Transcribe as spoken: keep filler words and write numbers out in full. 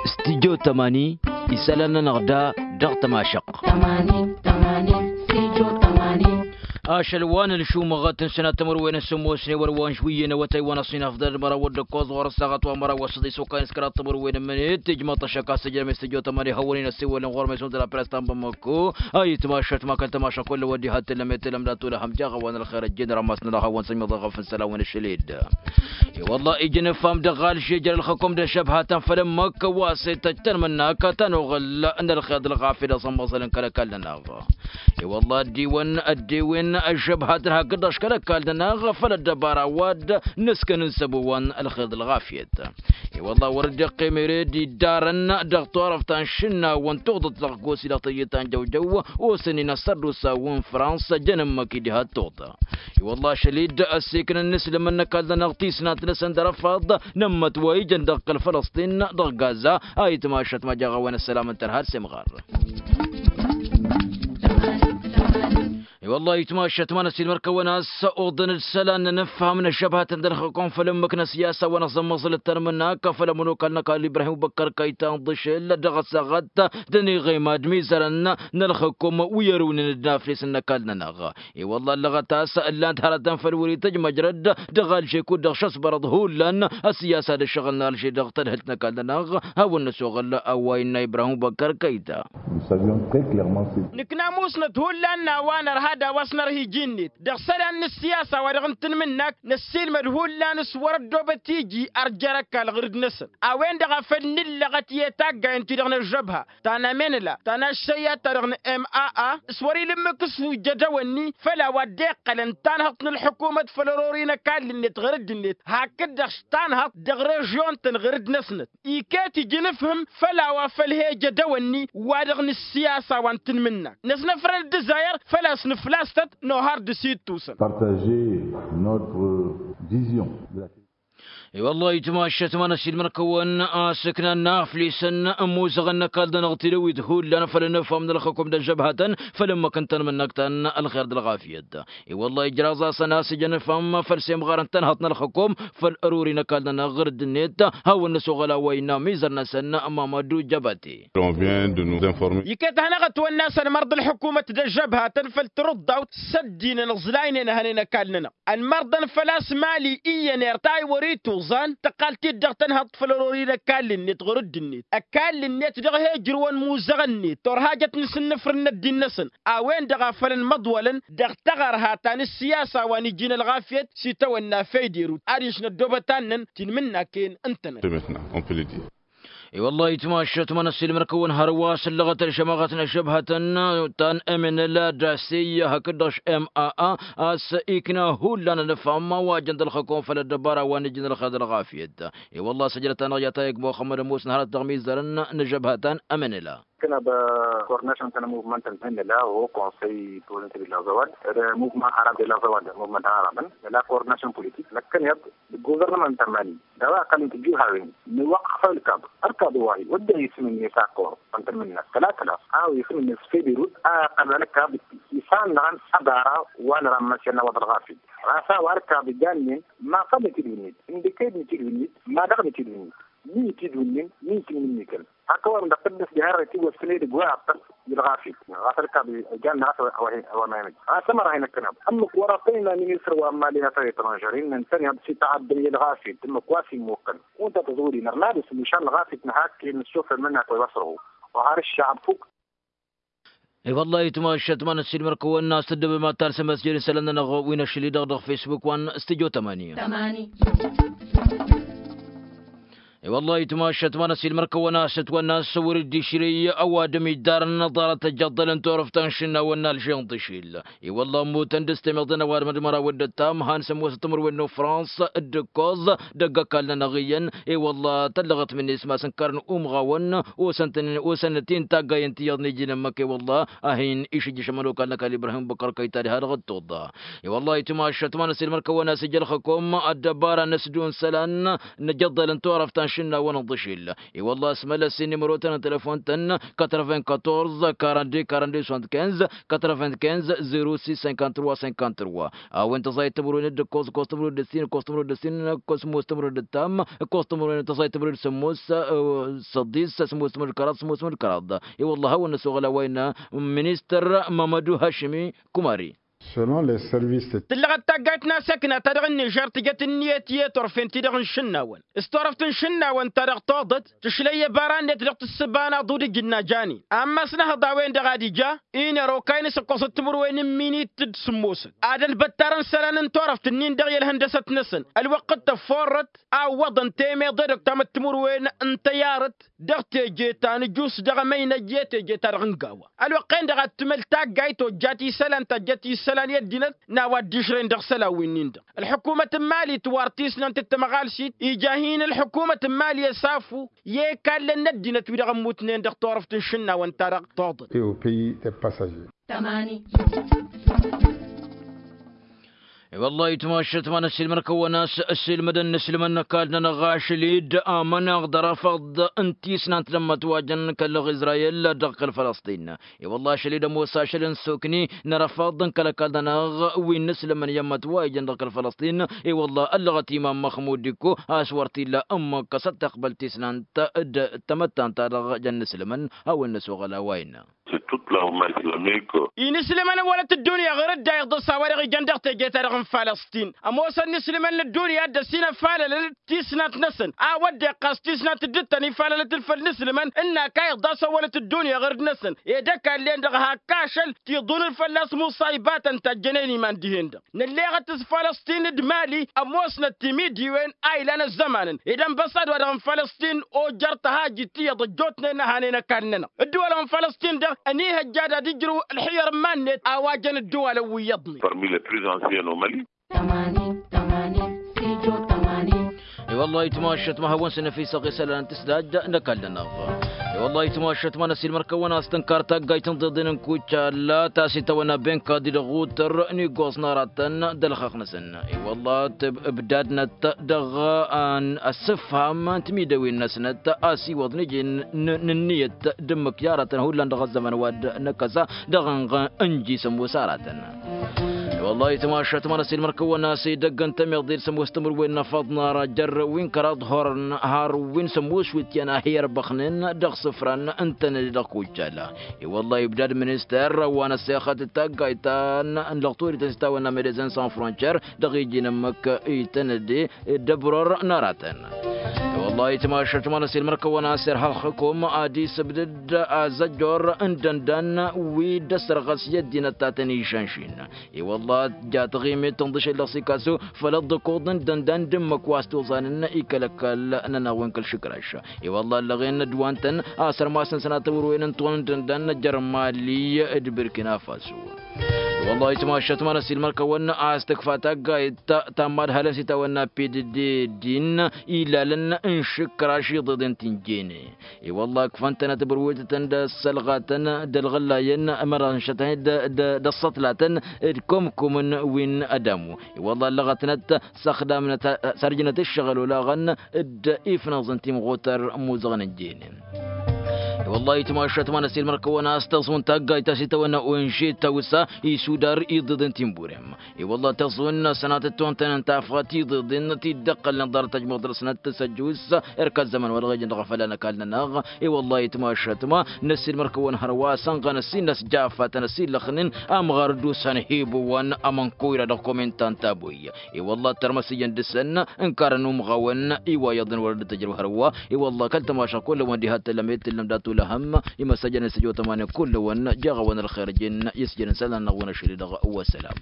Studio tămani. Isălan-nănăɣ da dăɣ-tămašăqq. Ašăl wa n-ălšumăɣăt n-sănat timǝrwen n-sǝmmos n-ewăr wa n-žwǝyyen awătay wa n-ăṣṣin afḍăl d-măraw d-ǝkkoẓ ɣur-ăssaɣăt wa n-măraw wa s-ăḍisukay n-s kăraḍ timǝrwen n-imǝnet ijmăḍ-t ăššăk a-s ǝjrăm i-s tǝjjo tămani hăwăn-in ăssiwălăn ɣur-măy s-unzăl apress ta n-bamăkko. A itmašăt ma kăl-tămašăk kull ăwăddi hattǝllăm i-tǝllăm d-atulăhăm jaɣ a-wa n-ălxer ăjjeen rămas-nănăɣ hawăn-săn miḍăɣăf n-isălan wa n-ašăl-dd. I-wălla ija n-ǝffam dăɣ-alže jer-ălxăkom d-ăžžăbhatăn făll-ǝmmǝk wa s-e-tăj tanmǝnnak ta n-oɣǝl n-ălxer d-ălɣafyăt dăɣ-sămmăẓăl n-kăl-ăkall-nănăɣ. I-wălla ăddiwăn ăddiwen ăžžăbhatăn hakd-dăɣ š-kăl-ăkall-nănăɣ făll-ăddăbara wa d-nǝskăn n-săbo wa n-ălxer d-ălɣafyăt. I-wălla wăr dd-iqqim ere d-iddarăn dăɣ-turăft ta n-išǝnnawăn tuɣḍăt dăɣ-gosi dăɣ-tăjje ta n-jăwjăw osăn-in ăssărdusa wa n-frans jăn ǝmmǝk-i diha d-tuɣḍa. I-wălla ašăl-dd ăssiiknăn n-islǝmăn n-ăkall-nănăɣ tisnant-năsăn d-arăfaḍ n-ǝmmăt wa ijăn dăɣ-kăl-fălăsṭin dăɣ-gaza. A itmašăt ma jaɣ a-wen ăssălam n-tărha d-semɣar. I-wălla itmašăt ma n-ăsilmăr-kăwăn a-s oḍăn-dd isălan n-inǝfham n-ăžžăbhatăn d-ălxăkom făll-ǝmmǝk n-ăsiyasa wa n-aẓǝmmăẓǝl d-tanmǝnnak făll-ămănokal n-ăkall ibrahim băkkăr kăyta n-ḍǝšel dăɣ-ăssaɣăt d-ăniɣem ad-mizărăn n-ălxăkom wi ărwǝnăn d-inaflesăn n-ăkall-nănăɣ. I-wălla ǝllăɣăt a-s ǝllan-t hărătăn făll-wăr-itǝjmăjrăd dăɣ-alže kud-dăɣ šăsbărăḍ hullan ăsiyasa d-ǝššăɣǝl n-alže dăɣ-tadhǝlt n-ăkall-nănăɣ. Hawăn-năsoɣăl a-wa innă ibrahim băkkăr kăyta. Nǝkna musnăt hullan n-a-wa nărha d-a-wa s-nărha iji-net dăɣ-isălan n-ǝssiyasa wa dăɣ-n tanmǝnnak năssiilmăd hullan s-wăr-ăddoobăt iji ărjer ăkall ɣǝr-dd-năsăn. A-wen-dăɣ a făl nǝllăɣăt i-taggayăn-ti-dăɣ n-ăžžăbha ta n-amenla ta n-aššăyya-ta-dăɣ n-maa s-wăr-ila ǝmmǝk s-ujădăw-ǝnni făll-a-wa dd-iqqălăn tanhăḍt n-ălḥukumăt făll-ărori n-ăkall-net ɣǝr-dd-net hakd-dăɣ s-tanhăḍt dăɣ-režyon-tăn ɣǝr-dd-năsnăt. Iket ija n-afhǝm făll-a-wa făl he-ejădăw-ǝnni wa dăɣ-nǝssiyasa wa n-tanmǝnnak năsnăfrăn d-ǝzzayăr făl-a-s nǝflas-tăt nohar d-ass ittusăn. Partager notre vision de la. I-wăllah itmašăt ma n-ăsilmăr-kăwăn a-s ǝknan n-aflesăn ămuzăɣăn n-ăkall-nănăɣ tilăwit hullan făll-inǝfham n-ălxăkum d-ăžžăbhatăn făll-ǝmmǝk n-tanmǝnnăkt ta n-ălxer d-ălɣafyăt. I-wăllah ijraẓ-asăn a-s ija n-afham făll-semɣar n-tanhăḍt n-ălxăkum făll-ăruri n-ăkall-nănăɣ ɣǝr-dd-net. Hawăn-năsoɣăl a-wa innă amizăr-năsăn mamădu jăbate. Iket ad-hanăɣ-ătwănna a-s ălmăr d-ălḥukumăt d-ăžžăbhatăn făll-tirǝḍḍawt s-ăddinăn ǝẓlaynen ăhănen ăkall-nănăɣ ălmăr-dăn făl-a-s mali iyyăn irtay wăr-ituẓan tăqqal-t-dd dăɣ-tanhăḍt făll-ărori n-ăkall-net ɣur-dd-net ăkall-net dăɣ-he-ǝjrǝwăn imuzăɣăn-net turhajăt n-asǝnnǝfrǝn n-ăddin-năsăn. A-wen-dăɣ a făl ănmăḍwălăn dăɣ-taɣărha ta n-ǝssiyasa wa n-iji n-ălɣafyăt s-itawănna făyderut adiš n-ăddoobăt annăn tinmǝnnaken ǝntănăt. I-wăllah itmašăt ma n-ăssiilmăr-kăwăn hărwa s-ǝllăɣăt ălžămaɣăt n-ăžžăbhătăn ta n-emnăl d-asey hakd-dăɣ š-maa a-s ikna hullan ănăfham wa jăn d-ălxăkom făll-ăddăbara wa n-iji n-ălxer d-ălɣafyăt. I-wăllah săjdăt-anăɣ i-atayăg muxămmăd ămoosăn hărăt dăɣ-mizărăn n-ăžžăbhătăn ămnăla. Kănăb coordination ta n-muvmănt n-ămnăla o konsăy politik d-lazăwad d-muvmănt arab d-lazăwad muvmănt arabăn d-la coordination politik năkkăneḍ d-guvernămănt ămani d-a-wa ăqqălăn tǝjjǝwhawen n-iwăqqăf ălkab ălkab wa-hi wădden isǝm-net akor ăntănmǝnna tăla tăla a-wa isǝm-net s-federut a ăqqălăn ălkab isannăɣăn ăbara wa n-rămmăsăn a-wa d-ălɣafyăt ɣas a-wa ălkab ijannen ma făll-nǝtidwǝnnit ǝndǝked nǝtidwǝnnit ma dăɣ-nǝtidwǝnnit mi itidwǝnnin mi itǝnnǝnnǝkăn. Hak ăwadǝm dăɣ-tǝddǝst diha irra itiwwăsfăn edăgg wa iqqăl i-ălɣafyăt ɣas ălkab ijannăɣ a-s a-wa n-ămănăj ɣas ămăra hin-ăkkănab ǝmmǝk wăr-ăṭṭăyna ministăr wa n-imali n-afăr etrănžăr innă ǝntăneḍ s-ităɣaddăn i-ălɣafyăt ǝmmǝk wa s-immukkăn. Kunta tăẓwǝd-in ărmad s-mušan ălɣafyăt n-hak i-nǝssufrăn mănnak wa i-wăsrăhu. Oha ar ǝššăɣăb fuk. I-wăllah itmašăt ma n-ăssiilmăr-kăwăn a-s tǝddǝbăm ad-talsăm ăsjăr isălan-nănăɣ wi n-ašăl-i-dăɣ dăɣ-fesbuk wa n-studyo tămani. I-wăllah itmašăt ma n-ăssiilmăr-kăwăn a-s ǝtwănna a-s wăr-dd-išrǝy ăwadǝm iddarăn ănăḍarăt ăjjăḍḍălăn turăft ta n-išǝnnawăn n-alže n-tǝšil. I-wălla ămmutăn d-s-temăḍăn ăwadǝm d-măraw d-ăttam han s-ămoosăt timǝrwen n-ufrans d-ǝkkoẓ dăgg-ăkall-nănăɣ iyyăn. I-wălla tăllăɣăt mǝnnes ma s-ǝnkărăn umɣawăn osăn-tăn osăn-t-in taggayen ti iyyăḍ n-iji n-ǝmmǝk i-wălla a hin-išǝjjǝš ămănokal n-ăkall ibrahim băkkăr kăyta diha-dăɣ d-tuḍa. I-wălla itmašăt ma n-ăsilmăr-kăwăn a-s ija ălxăkom ăddăbara n-ăsdun isălan n-ejăḍḍălăn turăft ta n-išǝnnawăn. Šǝnnawăn n-iḍǝšil. I-wălla asmălăs i-nimărotăn n-telefon-tăn, quatre-vingt-quatorze, quarante-deux, quarante-deux, soixante-quinze, quatre-vingt-quinze, zéro six, cinquante-trois, cinquante-trois. A-wen tăẓayăt timǝrwen d-ǝkkoẓ, ǝkkoẓ timǝrwen d-ǝssin, ǝkkoẓ timǝrwen d-ǝttam, ǝkkoẓ timǝrwen tăẓayăt timǝrwen d-sămmos, ăsăḍis, sămmos timǝrwen d-kăraḍ, sămmos timǝrwen d-kăraḍ. I-wălla a hawăn-năs oɣăl a-wa innă ministăr mămădu hašimi kumari. Selon les services. Tǝllăɣăt taggayt n-asekna ta dăɣ-nižer tǝjăt ǝnniyăt i-turfen-ti-dăɣ n-išǝnnawăn. S-turăft n-išǝnnawăn ta dăɣ-tuḍăt tǝšlăy i-bara-net dăɣ-tǝssǝba n-aḍu d-ijǝnna janin. Ammas n-ehăḍ a-wen-dăɣ ad-ija, inăro kayăn s-ǝkkoẓăt timǝrwen n-minit d-sǝmmosăt ad-ălbăttar n-isălan n-turăft-ǝnnin dăɣ-i ălhăndăsăt-năsăn. Ălwăqq d-tăfforrăt a ǝwwăḍăn temeḍe d-oktamăt timǝrwen n-tăyarăt dăɣ-teje ta nǝjus dăɣ-emăynăj i-teje ta dăɣ-ǝngawa. Ălwăqq-en-dăɣ ad-tǝmǝl taggayt ojjat isălan tajjăt isălan i-ăddinăt n-a-wa dd-išrăyăn dăɣ-isălan-winnin-dăɣ. Ălḥukumăt n-imali tǝwar tisnant d-tamăɣalsit ija a hin-ălḥukumăt n-imali ăsafu i-ikallen n-ăddinăt wi-dăɣ ămmutnen dăɣ-turăft n-išǝnnawăn-ta-dăɣ tuḍăt. I-wăllah itmašăt ma n-ăssiilmăn kăwăn-as ăssiilmădăn n-islǝmăn n-ăkall-nănăɣ ašăl-dd amăneɣ d-arăfăḍ n-tisnant d-ămmătwajăn kăl-iẓrayel dăɣ-kăl-fălăsṭin. I-wăllah ašăl-dd ămoos ašăl n-sokni n-arăfăḍ n-kăl-ăkall-nănăɣ wi n-islǝmăn i-ămmătwajăn dăɣ-kăl-fălăsṭin. I-wăllah ăllăɣăt imam măxmud dikko a-s wăr t-illa ǝmmǝk s-ad-tiqbăl tisnant d-tamăttant-ta-dăɣ jăn n-islǝmăn. Hawăn-năsoɣăl a-wa innă. Inǝslǝmăn n-wălăt ăddunya ɣur-dd a iḍǝs a-wa dăɣ-ijăn dăɣ-teje-ta-dăɣ n-falăstin. Ămoosăn inǝslǝmăn n-ăddunya a dd-ăsinăfalălăl tisnant-năsăn a-wa dd-iqqas tisnant dd-tăn-ifalălăt făll-inǝslǝmăn ǝnn'-ak a iḍas ăwwălăt ăddunya ɣur-dd-năsăn. Ed ăkall-en-dăɣ hak ašăl tiḍunǝl fălla-s muṣaybatăn ta ǝjjănen iman dihen-dăɣ. Nălleɣăt s-falăstin d-mali ămoosnăt timidiwen a ilan ăzzămanăn ed ănbăṣṣad-wa-dăɣ n-falăstin ojăr tăhajit iyyăḍ ăjjootnen a hanen ăkall-nănăɣ. Ǝddǝwălăn n-falăstin-dăɣ ănihăjja ad-ad-ijrǝw ălxǝyyăr n-iman-net a-wa jăn ǝddǝwalăn wi iyyăḍnen. Parmi les plus anciens au mali. I-wăllah itmašăt ma hawăn-săn efisăɣ isălan n-tǝsdaj n-ăkall-nănăɣ. I-wăllah itmašăt ma n-ăsiilmăr-kăwăn a-s tǝnkar taggayt n-iḍeḍen n-kuccal ta s-itawănna benka d-idăɣ utăr n-iggoẓ n-aratăn d-ălxăqq-năsăn. I-wăllah tǝbdadnăt dăɣ-ăssǝfham n-timidewen-năsnăt a-s iwăḍ n-iji n-ǝnniyăt d-ǝmmǝk i-aratăn hullan dăɣ-ăzzăman wa dd-năkkăsa dăɣ-ănɣ ǝnji s-ămoos aratăn. I-wăllah itmašăt ma n-ăsiilmăr-kăwăn a-s edăgg n-tămiḍe d-sămoos timǝrwen n-afăḍ n-ara jer-wi n-kăraḍ hurăn har wi n-sămoos wi t-iyyăn a hi-ărbăxnen dăɣ-isǝfran n-tănăde dăɣ-kuccal. I-wăllah ibdad minister wa n-ăssexăt d-taggayt ta n-lăɣturităn s-tawănna medezăn sans frontier dăɣ-iji n-ǝmmǝk i-tănăde d-ăbror n-aratăn. I-wăllah itmašăt ma n-ăsiilmăr-kăwăn a-s irha ălxǝkum ad-isǝbdǝd azăjjor n-idăndan wi dd-ăssărɣăs i-ăddinăt ta tăn-išănšin. I-wăllah ja taɣimit tǝnḍǝšel dăɣ-sikasu făll-ăḍḍǝkuḍ n-idăndan d-ǝmmǝk wa s-toẓanăn i-kăl-ăkall-nănăɣ wi n-kăl-išǝkraš. I-wăllah ăllăɣen n-ădwan-tăn a sărmasăn sănatăwăr-wen n-tawăn n-idăndan jer-mali d-birkina faso. I-wăllah itmašăt ma n-ăsiilmăr-kăwăn a-s tǝkfa taggayt ta n-imadhalăn s-itawănna pdd din ilalăn n-išǝkraš iḍeḍen ti n-jene. I-wăllah ǝkfăn-tănăt bărwetătăn d-ăssălɣatăn d-ălɣăllayăn ămărănšătăn d-ăssăṭlatăn d-kumkumăn wi n-ădamu. I-wăllah ăllăɣătnăt s-ăxdamnăt s-ărjnăt ǝššăɣǝl olaɣăn d-ifnăẓăn timɣutăr n-imuzăɣăn n-jene. I-wăllah itmašăt ma n-ăsiilmăr-kăwăn a-s tăẓun taggayt ta s-itawănna onže tawsa isudar iḍeḍen ti n-burem. I-wăllah tăẓun sănatăt tawăn-tăn n-tafɣa tiḍeḍen ti dd-ăqqălnen ḍarăt ăjmuḍ dăr-snăt tăsăjjus erk ăzzăman wa dăɣ-ijăn dăɣ-afălla n-ăkall-nănăɣ. I-wăllah itmašăt ma n-ăssiilmăr-kăwăn hărwa sănɣăn ăssiilnăs jafa-tăn ăsiillăxnen amɣar dd-usăn hibu wa n-amănko ira dăɣ-komentan taboy. I-wăllah tărmăs ijăn dăr-săn ǝnkarăn umɣawăn iwayyăḍăn wăr dd-tăjrăw hărwa. I-wăllah kăl-tămaša kull-wăn diha t-tăllăm i-t-tǝllăm dat-ulăhăm. Imăssăjăn isăjotămanen kull-wăn jeɣ-awăn ălxer jen i-s jăn isălan-năɣ wăn ašăl-i-dăɣ. Wăssălam.